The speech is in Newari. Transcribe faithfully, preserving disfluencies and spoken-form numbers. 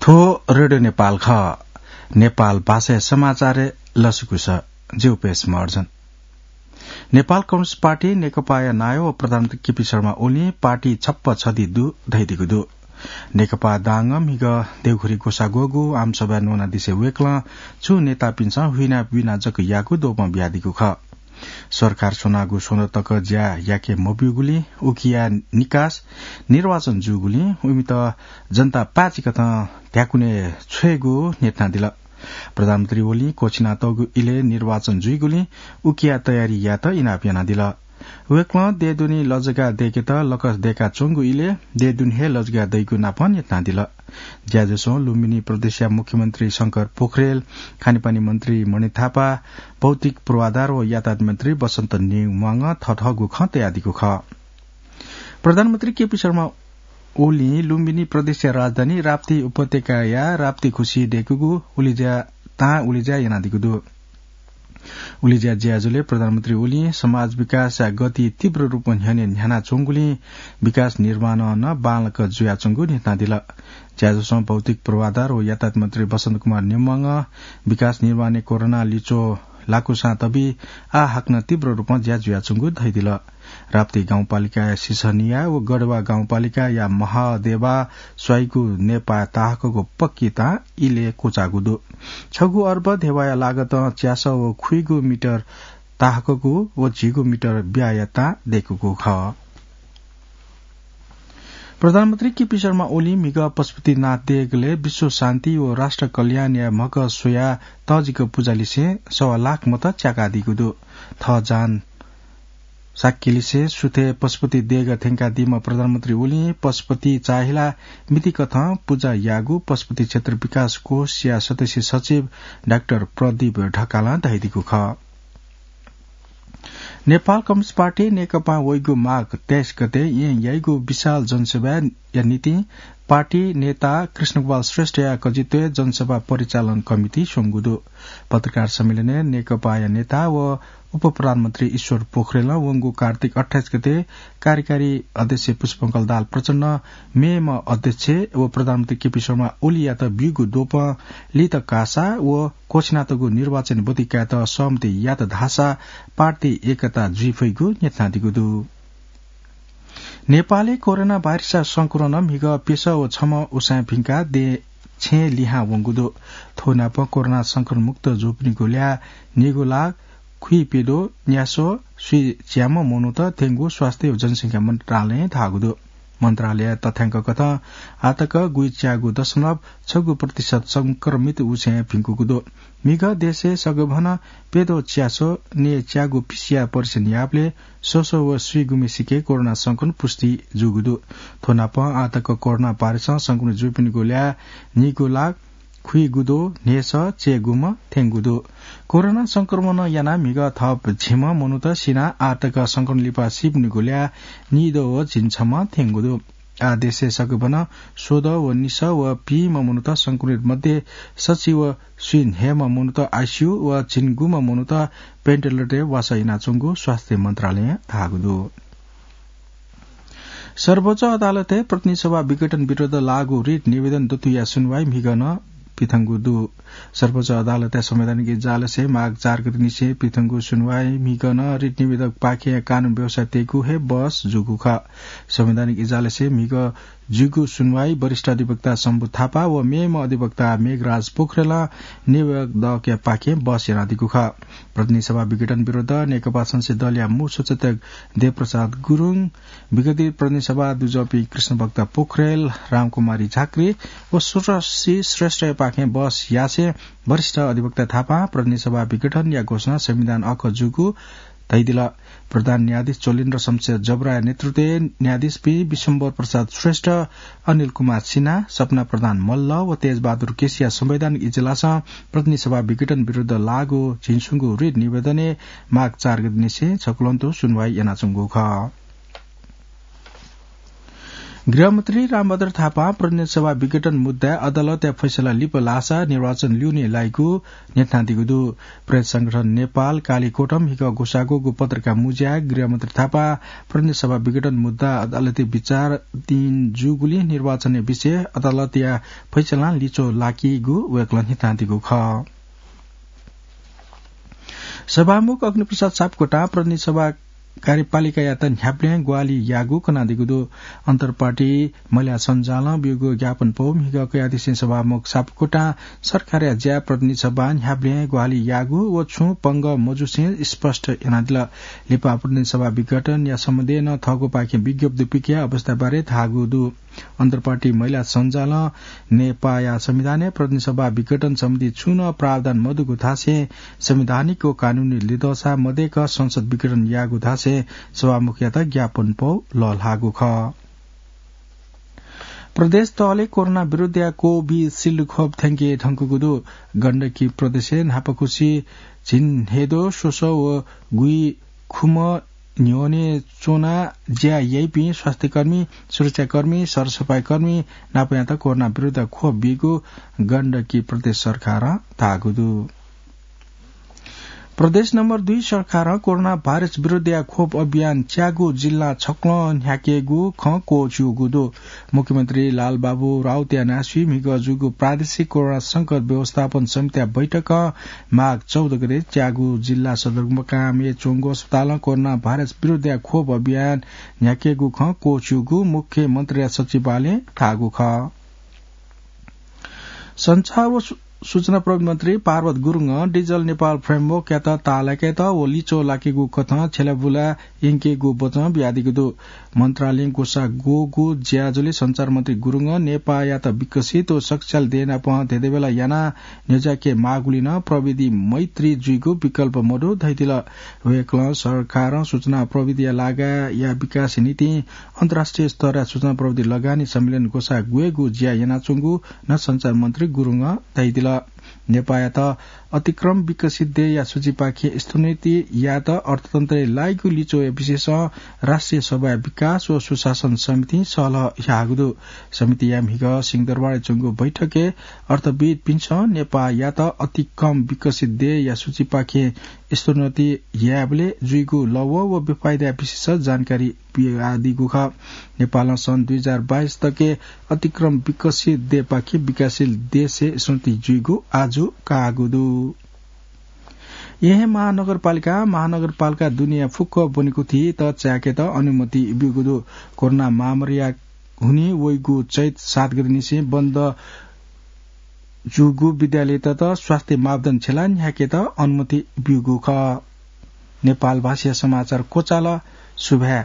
थ्व रेडियो नेपाल खः। नेपाल भाषाया समाचारय् लसकुस। जि उपेश महर्जन। नेपाल कम्युनिस्ट पार्टी नेकपाया नायः व प्रधानमन्त्री केपी शर्मा ओलीं पार्टी छप्पा छधी दु धयादीगु दु। नेकपा दाङं म्हिगः देउखुरी ग्वसाः ग्वःगु आमसभाय् न्वनादिसे वय्कलं छुं नेतापिन्सं हुइना बुइना जक याःगु द्वपं बियादीगु खः। सरकार स्वनागु स्वन्हु तक ज्या याके मब्यूगुलिं उकिया निकास निर्वाचन जूगुलिं इमित जनतां पाचिकथं ध्याकुनय् छ्वयेगु न्ह्यथनादिल। प्रधानमन्त्री ओलीं क्वःछिनातःगु इलय् निर्वाचन जुइगुलिं उकिया तयारी यायेत इनाप यानादिल। वय्कलं देय् दुने लजगाः दय्केत लकस दय्काच्वंगु इलय् देय् दुने हे लजगाः दइगु नापं न्ह्यथनादिल। ज्याझ्वलय् लुम्बिनी प्रदेशया मुख्यमन्त्री शंकर पोखरेल, खानेपानी मन्त्री मणि थापा, भौतिक पूर्वाधार व यातायात मन्त्री बसन्त नेवांगं थःथःगु खँ तयादीगु खः। प्रधानमन्त्री केपी शर्मा ओलीं लुम्बिनी प्रदेशया राजधानी राप्ती उपत्यकाया राप्ती खुसिइ दय्कूगु उलिज्या तां उलिज्या यानादीगु दु। उलिज्या ज्याझ्वलय् प्रधानमन्त्री ओलीं समाज विकासया गति तीव्र रूपं न्ह्यःने न्ह्यानाच्वंगुलिं विकास निर्माणं नं बांलाक जुयाच्वंगु न्ह्यथनादिल। ज्याझ्वलय् भौतिक पूर्वाधार व यातायात मन्त्री बसन्त कुमार नेवांगं विकास निर्माणय् कोरोना लिच्वः लाकूसां तबि आः हाकनं तीव्र रूपं ज्या जुयाच्वंगु धयादिल। राप्ती गाउँपालिकाया सिसनिया व गढवा गाउँपालिकाया महादेवा स्वाइगु नेपाः ताहाकःगु पक्की तां इलय् क्वचाःगु दु। छगू अर्ब धेवाया लागतं च्यासः व खुइगु मिटर ताहाकःगु व झिगू मिटर ब्याया तां दय्कूगु खः। प्रधानमन्त्री केपी शर्मा ओलीं म्हिगः पशुपतिनाथ देगलय् विश्व शान्ति व राष्ट्र कल्याणया म्हगः स्वयाः तःजिक पुजा लिसें सवा लाख मत च्याकादीगु दु। थः जान साक्यलिसें सुथय् पशुपति देगः थ्यंकादीम्ह प्रधानमन्त्री ओलीं पशुपति चाःहिला मितिकथं पुजा याःगु पशुपति क्षेत्र विकास कोषया सदस्य सचिव डाक्टर प्रदीप ढकालं धयादीगु खः। नेपाल कम्युनिस्ट पार्टी नेकपां वइगु माघ तेइस गते येँ याइगु विशाल जनसभाया निंतिं पार्टी नेता कृष्णगोपाल श्रेष्ठया कजित्वय् जनसभा परिचालन कमिटी स्वंगु दु। पत्रकार सम्मेलनय् नेकपाया नेता व उपप्रधानमन्त्री ईश्वर पोखरेलं वंगु कार्तिक अट्ठाइस गते कार्यकारी अध्यक्ष पुष्पकमल दाहाल प्रचण्ड, मेम्ह अध्यक्ष व प्रधानमन्त्री केपी शर्मा ओलीयात ब्यूगु द्वपं लित काःसा व क्वःछिनातःगु निर्वाचन ब्वति कायेत सहमति यात धाःसा पार्टी एकता जुइ फइगु न्ह्यथनादीगु दु। नेपालय् कोरोना भाइरसया संक्रमणं म्हिगः प्यसः व छम्ह उसाँय् भिंकाः देछेँ लिहां वंगु दु। थ्व नापं कोरोना संक्रमण मुक्त जूपिनिगु ल्याः निगू लाख खुइप्यद्वः न्यासः स्वीच्याम्ह मनूत थ्यंगु स्वास्थ्य व जनसंख्या मन्त्रालयं धाःगु दु। मन्त्रालयया तथ्यांककथं आःतक गुइच्यागू दशमलव छगू प्रतिशत संक्रमित उसाँय् भिंकूगु दु। म्हिगः देशय् सगभनं प्यद्वः च्यासः नयेच्यागू PCR परीक्षण याःबलय् स्वस्व व स्वीगुम्हेसिके कोरोना संक्रमण पुष्टि जूगु दु। थ्व नापं आःतक कोरोना भाइरसं संक्रमित जूपिनिगु ल्याः निगू लाख खुइगुद्वः न्हय्सः चय्गुम्ह थ्यंगु दु। कोरोना संक्रमणं यानाः म्हिगः थप झिम्ह मनूत सिनाः आःतक संक्रमण लिपा सीपिनिगु ल्याः निद्वः व झिंछम्ह थ्यंगु दु। आः देशय् सगभनं स्वद्वः व निसः व पीम्ह मनूत संक्रमित मध्ये सछि व स्वीन्हय्म्ह मनूत ICU व झिंगुम्ह मनूत ventilator-य् वासः यानाच्वंगु स्वास्थ्य मन्त्रालयं धाःगु दु। सर्वोच्च अदालतय् प्रतिनिधि सभा विघटन विरुद्ध लाःगु रिट निवेदन दथुया सुनवाई म्हिगः नं पिथंगु दु। सर्वोच्च अदालतया संवैधानिक इजलासय् माघ चार गते निसें पिथंगु सुनवाई म्हिगः नं रिट निवेदकपाखें कानून व्यवसाय तयेगु हे बहस जूगु खः। संवैधानिक इजलासय् म्हिगः जूगु सुनवाई वरिष्ठ अधिवक्ता शम्भु थापा व मेम्ह अधिवक्ता मेघराज पोखरेलं निवेदकपाखें बहस यानादीगु खः। प्रतिनिधि सभा विघटन विरुद्ध नेकपा संसदीय दलया मू सचेतक देवप्रसाद गुरुङ, विगतित प्रतिनिधि सभा दुजःपिं कृष्णभक्त पोखरेल, रामकुमारी झाँक्री व सुरश्री श्रेष्ठयापाखें बहस यासें वरिष्ठ अधिवक्ता थापां प्रतिनिधि सभा विघटनया घोषणा संविधान अःखः जूगु धयादिल। प्रधान न्यायाधीश चोलेन्द्र शमशेर जबराया नेतृत्वय् न्यायाधीशपिं विश्वम्भर प्रसाद श्रेष्ठ, अनिल कुमार सिन्हा, सपना प्रधान मल्ल व तेजबहादुर केसीया संवैधानिक इजलासं प्रतिनिधि सभा विघटन विरुद्ध लाःगु झिंस्वंगू रिट निवेदनय् माघ चार गते निसें छकुलंतु सुनवाई यानाच्वंगु खः। गृहमन्त्री रामभद्र थापां प्रतिनिधि सभा विघटन मुद्दाय् अदालतया फैसला लिपा लाःसा निर्वाचन ल्यूने लाइगु न्ह्यथनादीगु दु। प्रेस संगठन नेपाल कालीकोटं म्हिगः ग्वसाःगु पत्रकार मुँज्याय् गृहमन्त्री थापां प्रतिनिधि सभा विघटन मुद्दा अदालती विचाराधीन जूगुलिं निर्वाचनया विषय अदालतया फैसलां लिच्वः लाकीगु वय्कलं न्ह्यथनादीगु खः। सभामुख अग्निप्रसाद सापकोटां प्रतिनिधि सभा कार्यपालिकायात न्ह्याबलें ग्वाहालि याःगु कनादीगु दु। अन्तरपार्टी महिला सञ्जालं ब्यूगु ज्ञापनपौ म्हिगः कयादिसें सभामुख सापकोटां सरकारया ज्या प्रतिनिधि सभां न्ह्याबलें ग्वाहालि याःगु व छुं पंगः मजुसें स्पष्ट यानादिल। लिपा प्रतिनिधि सभा विघटनया सम्बन्धय् नं थःगुपाखें विज्ञप्ति पिकया अवस्थाबारे धाःगु दु। अन्तरपार्टी महिला सञ्जालं नेपाःया संविधानय् प्रतिनिधि सभा विघटन सम्बन्धी छुं नं प्रावधान मदुगु धासें संवैधानिक व कानूनी लिधंसा मदय्क संसद विघटन याःगु धासें सभामुखयात ज्ञापनपौ लःल्हाःगु खः। प्रदेश तहले कोरोना विरुद्धया कोभिसिल्ड खोप थ्यंके धुंकूगु दु। गण्डकी प्रदेशय् न्हापाकुसि झिंहेदो स्वसः व गुइखुम्ह न्ह्यःने च्वनाः ज्या याइपिं स्वास्थ्यकर्मी, सुरक्षाकर्मी, सरसफाइकर्मी नापयात कोरोना विरुद्ध खोप बीगु गण्डकी प्रदेश सरकारं धाःगु दु। प्रदेश नम्बर दुई सरकारं कोरोना भाइरस विरुद्धया खोप अभियान च्यागू जिल्ला छक्वलं न्ह्याकेगु खँ क्वःछिउगु दु। मुख्यमन्त्री लालबाबु राउतया न्हाय्सुइ म्हिगः जूगु प्रादेशिक कोरोना संकट व्यवस्थापन समितिया बैठकं माघ चौध गते च्यागू जिल्ला सदरमुकामय् च्वंगु अस्पतालं कोरोना भाइरस विरुद्धया खोप अभियान न्ह्याकेगु खँ क्वःछिउगु मुख्यमन्त्रीया सचिवालयं धाःगु खः। सञ्चार व सु-, सूचना प्रविधि मन्त्री पार्वत गुरुङं डिजिटल नेपाल फ्रेमवर्कयात ताःलाकेत व लिच्वः लाकेगु कथं छ्यलाबुला यंकेगु वचं बियादीगु दु। मन्त्रालयं ग्वसाः ग्वःगु ज्याझ्वलय् सञ्चार मन्त्री गुरुङं नेपाःयात विकसित व शक्तिशाली देय् नाप धेंधेंबेला यानाः न्ह्यज्याके माःगुलिं नं प्रविधि मैत्री जुइगु विकल्प मदु धयादिल। वय्कलं सरकारं सूचना प्रविधिया लागाया विकासया निंतिं अन्तर्राष्ट्रिय स्तरया सूचना प्रविधि लगानी सम्मेलन ग्वसाः ग्वयेगु ज्या यानाच्वंगु नं सञ्चार मन्त्री गुरुङं धयादिल। नेपाःयात अतिक्रम विकसित देय्‌या सूचीपाखें स्तरोन्नति यायेत अर्थतन्त्रय् लाइगु लिच्वःया विषयसं राष्ट्रिय सभाया विकास व सुशासन समितिं सहलह याःगु दु। समितिया म्हिगः सिंहदरबारय् च्वंगु बैठकय् अर्थविद्‌पिन्सं नेपाःयात अतिक्रम विकसित देय्‌या सूचीपाखें स्तरोन्नति यायेबलय् जुइगु लवः व बेफाइदाया विषयसं जानकारी बियादीगु खः। नेपालं सन् दुई हजार बाइस तकय् अतिक्रम विकसित देय्‌पाखें विकासशील देशय् स्तरोन्नति जुइगु आजु काःगु दु। येँ महानगरपालिकां महानगरपालिका दुनेया फुक्क ब्वनेकुथित चाय्‌केत अनुमति ब्यूगु दु। कोरोना महामारीया हुनिं वइगु चैत सात गतेनिसें बन्द जूगु विद्यालयतय्‌त स्वास्थ्य मापदण्ड छ्यलाः न्ह्याकेत अनुमति ब्यूगु खः। नेपाल भाषाया समाचार क्वचाल। सुभाय्।